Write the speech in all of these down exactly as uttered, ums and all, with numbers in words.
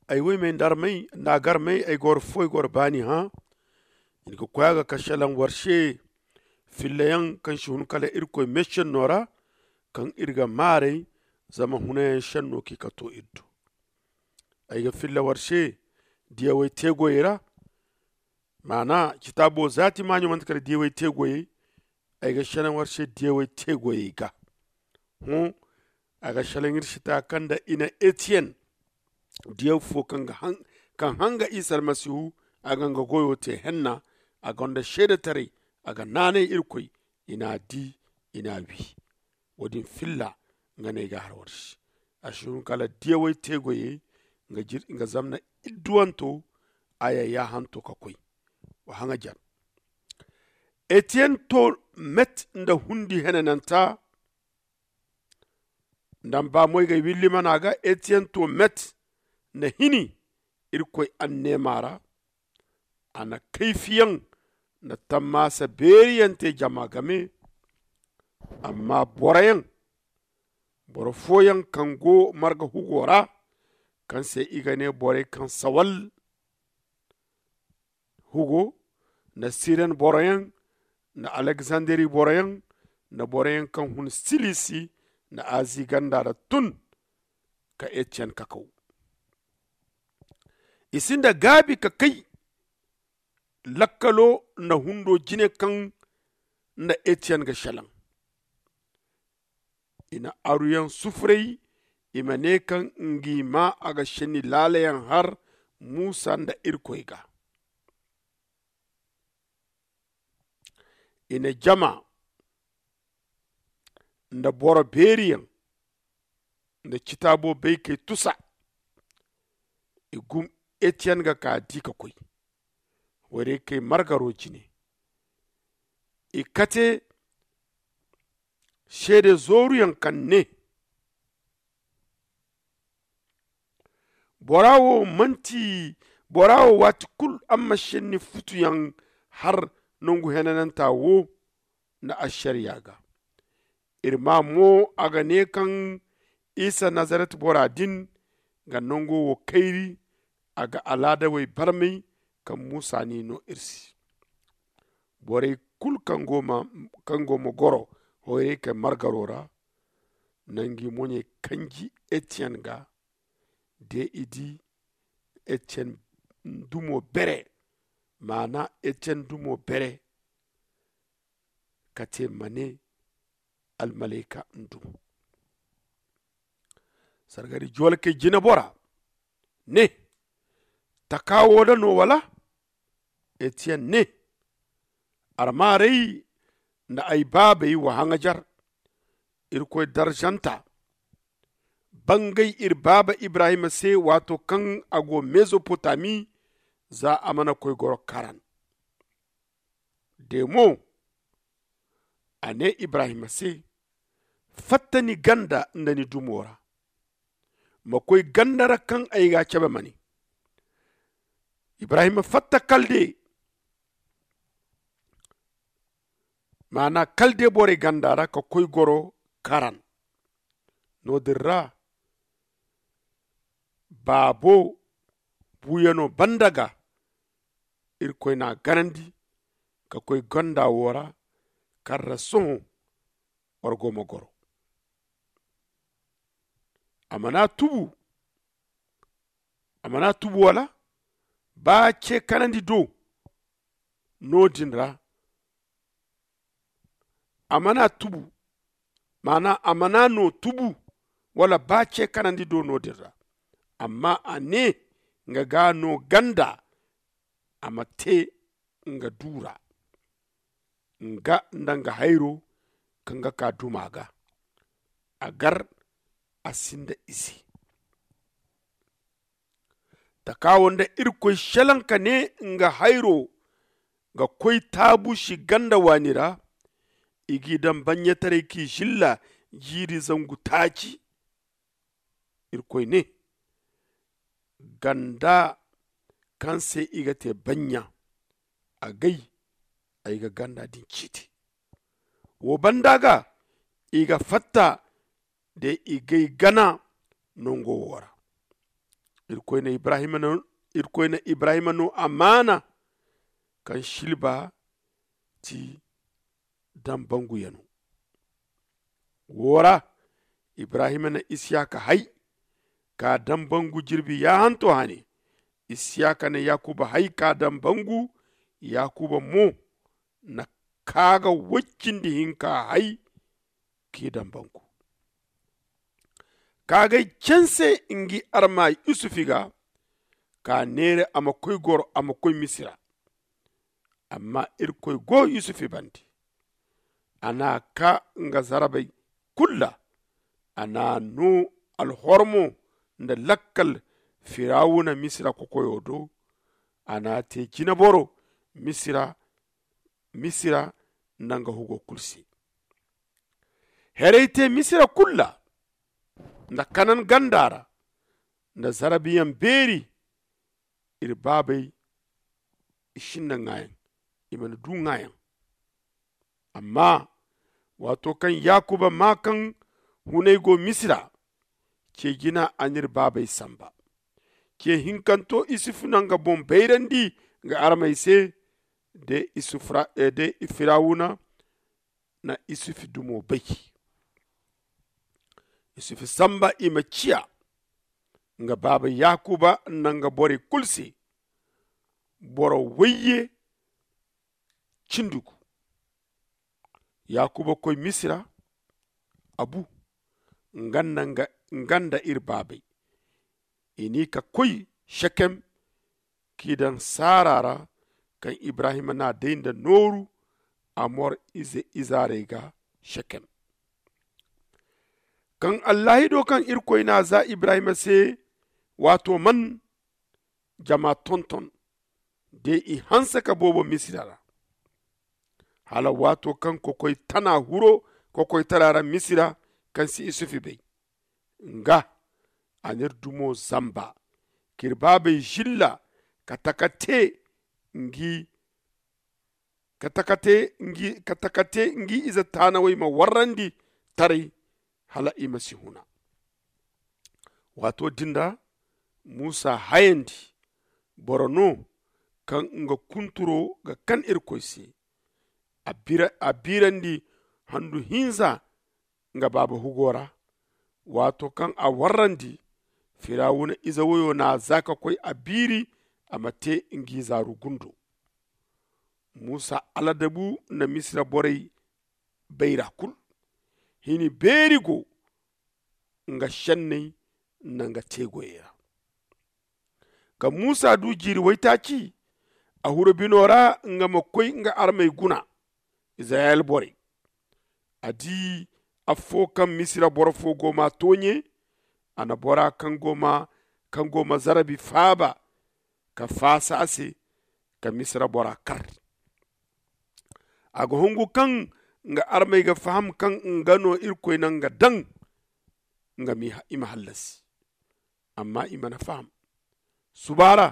Ay woy may nda armay nda a ga armay ay ga war fo ay ga war baani hã. I na ga koy a ga ka šelaŋ war se filla yaŋ kaŋ si hun kala irkoy meesenno ra, kaŋ ir ga maaray zama hunayaŋ senno kaŋ i ka to ir do. Ay ga filla war se diyawey teegoyey ra. Maana citaabo zaati maaɲo manti kala diyawey teegoyey. Ay ga šelaŋ war se diyawey teegoyey ga. Hõ, a ga šelaŋ ir se ta kaŋ nda i na etiyen diyaw fo kaŋ hanga isa almasihu a ga nga goyo te henna, a gonda seedetaray, a ga naanay irkoy. I n'a di, i n'a wi. Wo- din filla nga no ay ga har war se. A si hun kala diyawey teegoyey nga zamna idduwanto a ya yaahanto ka koy. Wa haŋajer. Etiyen to met nda hundi henananta. Nda mba moy ga willi mana ga etiyen to met nda hini irkoy anneema ra. A na kayfiyaŋ nda tammaasa beeriyaŋ te jama game. Amma boroyaŋ boro fooyaŋ kaŋ go marga hugo ra, kaŋ se i ga ne borey kaŋ sawal hugo, nda siren boroyaŋ, nda aleksanderi boroyaŋ, nda boroyaŋ kaŋ hun silisi nda azi ganda ra tun ka etiyen kakaw. I sinda gaabi ka kay lakkalo nda hundo jine kaŋ nda etiyen ga šelaŋ. I na aruyaŋ sufuray i ma ne kaŋ ngi ma a ga šenni laalayaŋ har musa nda irkoy ga. I na jama nda boro beeriyaŋ nda citaabo baykey tusa. I gum etiyen ga ka di ka koy. Wayrey kay margaro jine. I kate seede zooruyaŋ kaŋ ne, bora wo manti bora wo waati kulu a ma senni futuyaŋ har nangu henananta wo nda ašariya ga. Iri maa mo a ga ne kaŋ isa nazaret bora din ga nango wo kayri. A ga alaadawey barmay kaŋ musa n'i no iri se. Borey kulu kaŋ go ma goro hoyray kay margaro ra, nangu i moɲey kanji etiyen ga. De i di etiyen dumo bere. Maana etiyen dumo bere ka te ma ne almalayka ndu. Sargari joolakey jinebora ne, taka wo da no wala? Etiyen ne, armaaray nda ay baabey wa haŋajar. Irkoy darzanta bangay iri baaba ibrahima se waato kaŋ a go mezopotami za a mana koy goro karan. De mo a ne ibrahima se, fatta ni ganda nda ni dumo ra, ma koy ganda ra kaŋ ay ga a cabe ma ne. Ibrahima fatta kalde, maana kalde borey ganda ra ka koy goro karan. No- din ra baabo buuyano banda ga irkoy n'a ganandi ka koy ganda wo ra. Kaŋ ra sohõ war go ma goro. A mana tubu a mana tubu wala ba ce kanandi do no- din ra. A mana tubu, maana a mana no tubu wala ba ce kanandi do no- din ra. Amma a ne nga ga no ganda a ma te nga du ra, nga nda nga hayro kaŋ ga ka duma ga. A gar a sinda ize. Taka wo nda irkoy selaŋ ka ne nga hayro ga koy taabusi ganda waani ra. I g'i daŋ baɲɲataray k'i silla jiiri zangu taaci. Irkoy ne, ganda kaŋ se i ga te baɲɲa, agay ay ga ganda din ciiti. Wo banda ga i ga fatta de i gay gana nango wo ra. Irkoy na ibrahima no amaana kaŋ silba ti dambangu yano. Wo ra ibrahima na isiyaka hay ka dambangu jirbi yaahanto hane. Isiyaka na yakuba hay ka dambangu. Yakuba mo na kaaga woy cindi hinka hay k'i dambangu. Kaagay canse ngi arma yusufi ga ka neera a ma koy goro a ma koy misira. Amma irkoy go yusufi bande. A n'a kaa nga zarabey kulu ra. A n'a noo alhormo nda lakkal firawuna misira kokoyo do. A n'a tee jineboro misira nda nga hugo kulu se. Herey te misira kulu ra nda kanan ganda ra nda zarabiyaŋ beeri. Iri baabey i sinda ŋaayaŋ. I mana du ŋaayaŋ. Amma waato kaŋ yakuba maa kaŋ hunay go misira, ce jina a n'iri baabey samba. Ce hinkanto isufu na nga boŋ bayrandi nga armey se. De firawuna na isufu dumo bay. Isufu samba i ma ciya nga baaba yakuba nda nga borey kulu se. Boro wayye cindi gu. Yakuba koy misira. A bu nga nda iri baabey. I n'i ka koy sekem k'i daŋ saara ra kaŋ ibrahima n'a day nda nooru. Amor ize izaarey ga sekem. Kaŋ allaahido kaŋ irkoy n'a za ibrahima se waato man jama tonton. De i hanse ka boobo misira ra hala waato kaŋ kokoy tana huro kokoytara ra misira kaŋ si isufi bay. Nga a n'iri dumo zamba k'iri baabey zilla ka taka te ngi ka taka te ngi ize taanawey ma warrandi taray hala i ma si huna. Waato din ra muusa hayandi boro no kaŋ nga kunturo ga kan irkoy se. A biirandi handu hinza nga baaba hugo ra. Waato kaŋ a warrandi firawuna ize woyo n'a za ka koy a biiri a ma te ngi zaaru gundo. Muusa aladabu na misira borey bayra kulu. Hini beeri go nga senney nda nga teegoyey ra. Kaŋ muusa du jiiri waytaaci a huru bino ra nga ma koy nga armey guna. Izirayel borey a di affo kaŋ misira boro fo go m'a tooɲe. A na bora kaŋ go ma zarabi faaba ka faasa a se ka misira bora kar. A ga hungu kaŋ nga armey ga faham kaŋ nga no irkoy na nga daŋ nga ma i ma hallasi. Amma i mana faham. Suba ra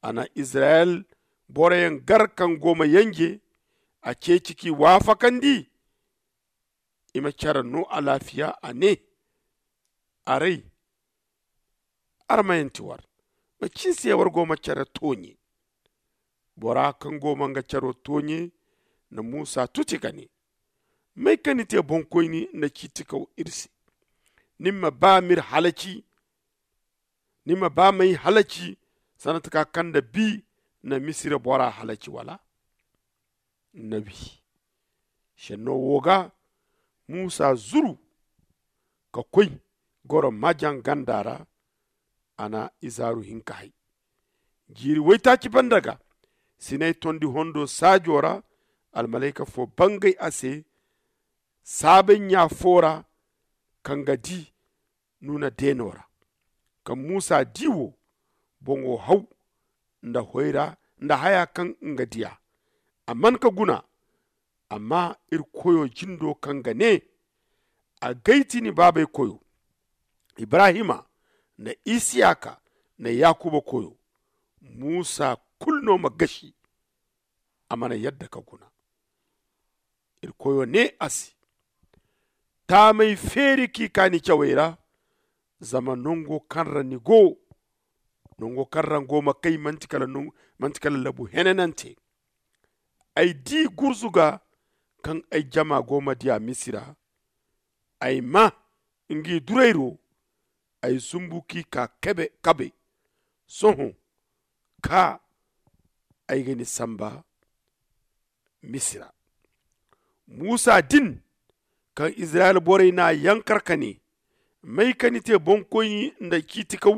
a na izirayel boroyaŋ gar kaŋ go ma yanje a ceeci k'i waafakandi. I ma care no alaafiya a ne, aray armayaŋ ti war. Macin se war go ma care tooɲe? Bora kaŋ go ma nga caro tooɲe na muusa tuti ka ne, may ka ni te boŋkoyni nda ciitikaw iri se? Ni ma ba m'iri halaci? Ni ma ba m'ay halaci sanda taka kaŋ nda bi na misira bora halaci wala? Na wi. Senno wo ga muusa zuru ka koy goro majaŋ ganda ra. A na izaaru hinka hay. Jiiri waytaaci banda ga sinay tondi hondo saajo ra. Almalayka fo bangay a se saabay ɲa fo ra kaŋ ga di nuuna deeno ra. Kaŋ muusa di wo boŋo haw nda haya kaŋ nga diya. A man ka guna. Amma iri koyo jindo kaŋ ga ne a gay ti ni baabey koyo, ibrahima nda isiyaka nda yakuba koyo, muusa kulu no ma gasi. A mana yadda ka guna. Iri koyo ne a se, taamay feeri k'i ka ni cawey ra. Zama nango kaŋ ra ni go nango kaŋ ra nga go ma kay manti kala labu henanante. Ay di gurzuga kaŋ ay jama go ma diya misira. Ay ma ngi durayro. Ay zumbu k'i ka kabe. Sohõ ka ay ga ni samba misira. Musa din kaŋ izirayel borey n'a yankar ka ne, may ka ni te boŋkoyni nda ciitikaw?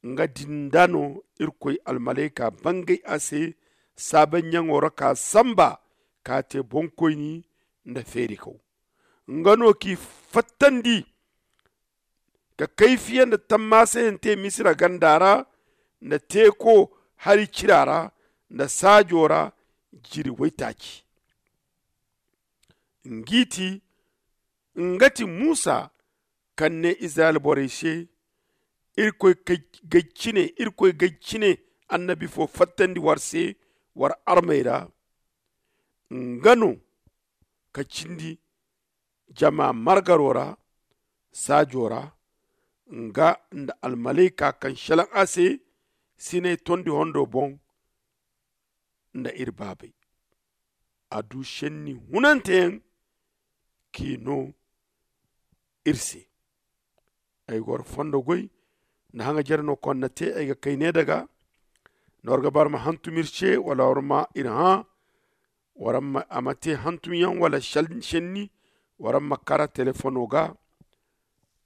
Nga din da no irkoy almalayka bangay a se saabanyaŋo ra ka samba ka te boŋkoyni nda feerikaw. Nga no k'i fattandi ka kayfiya nda tammaasayante misira ganda ra nda teeko hari cira ra nda saajo ra jiri waytaaci. Ngi ti nga ti musa kaŋ ne izirayel borey se, irkoy gay cine annabi fo fattandi war se war armey ra. Nga no ka cindi jama margaro ra saajo ra, nga nda almalayka kaŋ selaŋ a se sinay tondi hondo boŋ nda iri baabey. A du senni hunanteyaŋ k'i no iri se. Ay ga war fondo goy nda haŋa jere no konna te ay ga kay ne daga nda war ga ba war ma hantum iri se wala war ma iri hã. War ma a ma te hantumyaŋ wala senni war ma kara telefono ga.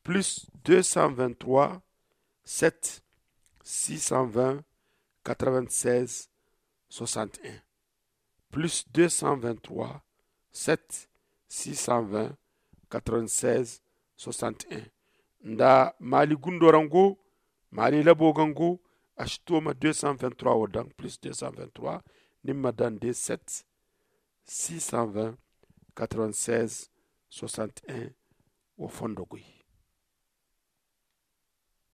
Plus deux cent vingt trois sept six cent vingt quatre vingt seize soixante un. Plus deux cent vingt trois sept six cent vingt quatre vingt seize soixante un. Nda maali gundo ra nga go maali labo ga nga go. A si to ma deux cent vingt trois wo daŋ plus deux cent vingt trois ni ma daŋ de sept six cent vingt quatre vingt seize soixante un. Wo fondo goy.